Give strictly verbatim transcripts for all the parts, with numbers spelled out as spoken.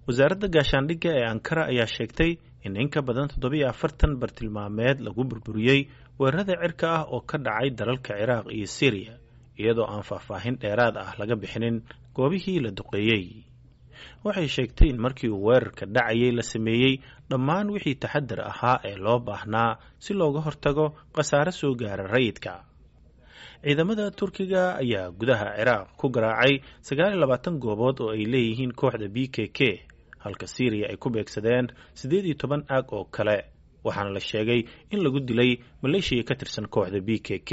Wasaaradda gaashaandhigga ee Ankara ayaa sheegtay in in ka badan toddobiyo afartan bartilmaameed lagu burburiyey weerarada cirka ah oo ka dhacay dalalka Ciraaq iyo Syriya, iyadoo aan faahfaahin dheeraad ah laga bixinin goobihii la duqeeyey. Waxay sheegtay in markii uu weerarka dhacayay la sameeyey dhammaan wixii taxadar ahaa ee loo baahnaa si looga hortago khasaare soo gaara rayidka. Ciidamada Turkiga ayaa gudaha Ciraaq ku garaacay sagaal iyo labaatan goobood oo ay leeyihiin kooxda B K K, halka Syriya ay ku beegsadeen siddeed iyo toban aag oo kale, waxaana la sheegay in lagu dilay maleeshiya ka tirsan kooxda B K K.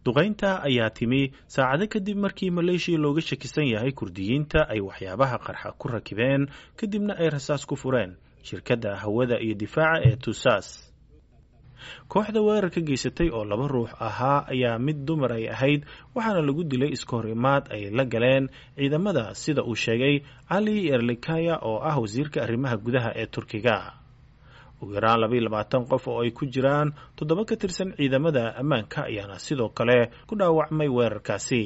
Duqaynta ayaa timi saacado kadib markii maleeshiya looga shakisan yahay Kurdiyiinta ay waxyaabaha qarxa ku rakibeen, kadibna ay rasaas ku fureen shirkadda hawada iyo difaaca ee Tusaas. Kooxda weerarka geysatay oo laba ruux ahaa ayaa mid dumar ay ahayd, waxaana lagu dilay iska horimaad ay la galeen ciidamada, sida uu sheegay Cali Yerlikaya oo ah wasiirka arrimaha gudaha ee Turkiga. Ugu yaraan laba iyo labaatan qof oo ay ku jiraan toddoba ka tirsan ciidamada ammaanka ayaana sidoo kale ku dhaawacmay weerarkaasi.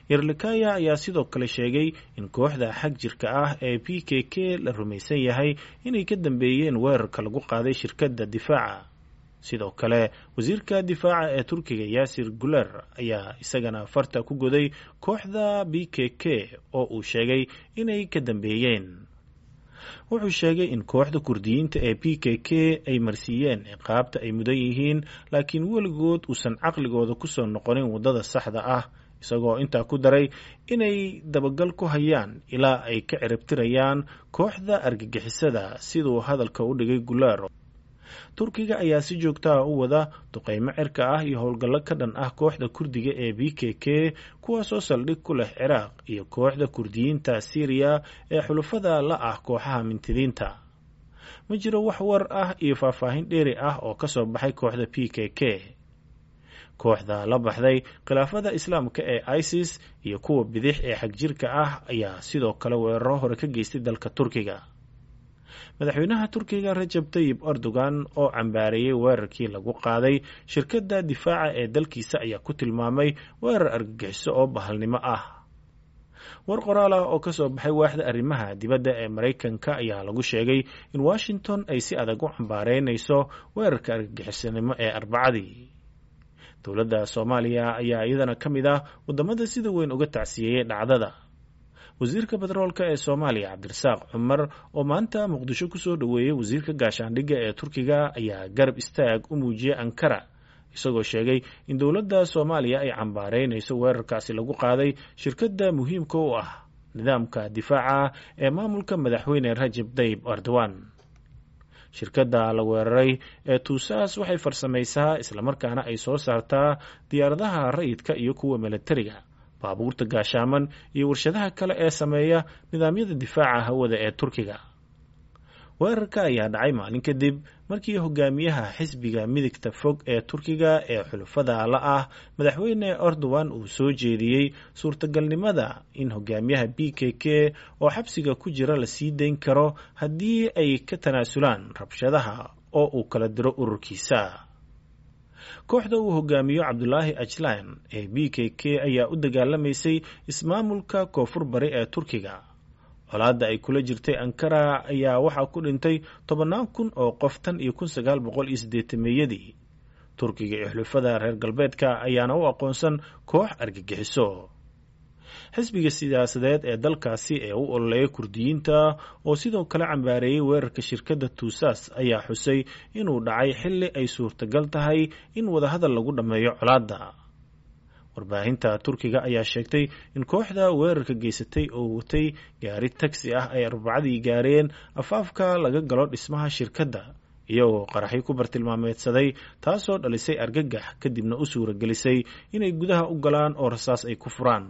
Yerlikaya ayaa sidoo kale sheegay in kooxda xag jirka ah ee P K K la rumaysan yahay inay ka dambeeyeen weerarka lagu qaaday shirkadda difaaca. Sidoo kale wasiirka difaaca ee Turkiga Yaasir Guler ayaa isagana farta ku goday kooxda B K K oo uu sheegay inay ka dambeeyeen. Wuxuu sheegay in kooxda Kurdiyiinta ee P K K ay marsiiyeen ciqaabta ay mudan yihiin, laakiin weligood uusan caqligooda ku soo noqonin waddada saxda ah, isagoo intaa ku daray inay dabagal ku hayaan ilaa ay ka ciribtirayaan kooxda argagixisada, siduu hadalka u dhigay Guler. Turkiga ayaa si joogto ah u wada duqeymo cirka ah iyo howlgallo ka dhan ah kooxda Kurdiga ee B K K, kuwaasoo saldhig ku leh Ciraaq iyo kooxda Kurdiyiinta Syriya ee xulafada la ah kooxaha mintidiinta. Ma jiro wax war ah iyo faahfaahin dheeri ah oo ka soo baxay kooxda P K K. Kooxda la baxday khilaafada Islaamka ee ISIS iyo kuwa bidix ee xagjirka ah ayaa sidoo kale weeraro hore ka geystay dalka Turkiga. Madaxweynaha Turkiga Rajab Tayyip Erdogan oo cambaareeyay weerarkii lagu qaaday shirkadda difaaca ee dalkiisa ayaa ku tilmaamay weerar argagixiso oo bahalnimo ah. War qoraal ah oo ka soo baxay waaxda arrimaha dibadda ee Maraykanka ayaa lagu sheegay in Washington ay si adag u cambaareynayso weerarka argagixisanimo ee Arbacadii. Dowladda Soomaaliya ayaa iyadana ka mid ah waddamada sida weyn uga tacsiyeeyay dhacdada. Wasiirka batroolka ee Soomaaliya Cabdirasaaq Cumar oo maanta Muqdisho ku soo dhoweeyay wasiirka gaashaandhigga ee Turkiga ayaa garab istaag u muujiyay Ankara, isagoo sheegay in dowladda Soomaaliya ay cambaareynayso weerarkaasi lagu qaaday shirkadda muhiimka u ah nidaamka difaaca ee maamulka madaxweyne Rajab Tayyip Erdogan. Shirkadda la weeraray ee Tusaas waxay farsamaysaa islamarkaana ay soo saartaa diyaaradaha rayidka iyo kuwa milatariga, baabuurta gaashaaman iyo warshadaha kale ee sameeya nidaamyada difaaca hawada ee Turkiga. Weerarka ayaa dhacay maalin kadib markii hogaamiyaha xisbiga midigta fog ee Turkiga ee xulafada la ah madaxweyne Erdogan uu soo jeediyey suurtagalnimada in hogaamiyaha B K K oo xabsiga ku jira la sii dayn karo haddii ay ka tanaasulaan rabshadaha oo uu kala diro ururkiisa. Kooxda uu hogaamiyo Cabdulaahi Ajlan ee B K K ayaa u dagaalamaysay ismaamulka koonfur bari ee Turkiga. Colaadda ay kula jirtay Ankara ayaa waxaa ku dhintay tobannaan kun oo qof tan iyo kun sagaal boqol iyo siddeetameeyadii. Turkiga iyo xulafada reer galbeedka ayaana u aqoonsan koox argagixiso. Xisbiga siyaasadeed ee dalkaasi ee u ololeeya Kurdiyiinta oo sidoo kale cambaareeyay weerarka shirkadda Tusaas ayaa xusay inuu dhacay xilli ay suurtagal tahay in wadahadal lagu dhammeeyo colaadda. Warbaahinta Turkiga ayaa sheegtay in kooxda weerarka geysatay oo watay gaari tagsi ah ay Arbacadii gaareen afaafka laga galo dhismaha shirkadda, iyagoo qaraxyo ku bartilmaameedsaday, taasoo dhalisay argagax kadibna u suuragelisay inay gudaha u galaan oo rasaas ay ku furaan.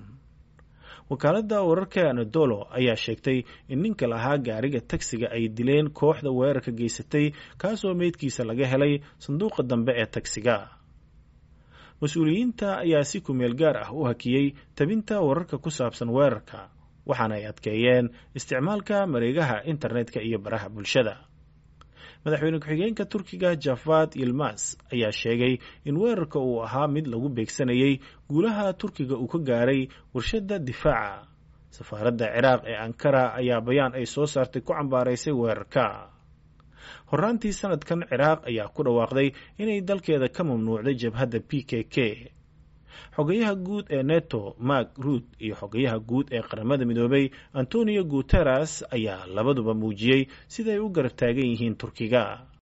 Wakaaladda wararka Anadolu ayaa sheegtay in ninka lahaa gaariga tagsiga ay dileen kooxda weerarka geysatay, kaasoo meydkiisa laga helay sanduuqa dambe ee tagsiga. Mas-uuliyiinta ayaa si kumeel gaar ah u hakiyey tabinta wararka ku saabsan weerarka, waxaana ay adkeeyeen isticmaalka mareegaha internetka iyo baraha bulshada. Madaxweyne ku-xigeenka Turkiga Javad Yilmaz ayaa sheegay in weerarka uu ahaa mid lagu beegsanayay guulaha Turkiga uu ka gaaray warshadda difaaca. Safaaradda Ciraaq ee Ankara ayaa bayaan ay soo saartay ku cambaaraysay weerarka. Horraantii sanadkan, Ciraaq ayaa ku dhawaaqday inay dalkeeda ka mamnuucday jabhadda P K K. Xogayaha guud ee Neto Mark Rutte iyo xogayaha guud ee Qaramada Midoobay Antonio Guterres ayaa labaduba muujiyey siday u garab taagan yihiin Turkiga.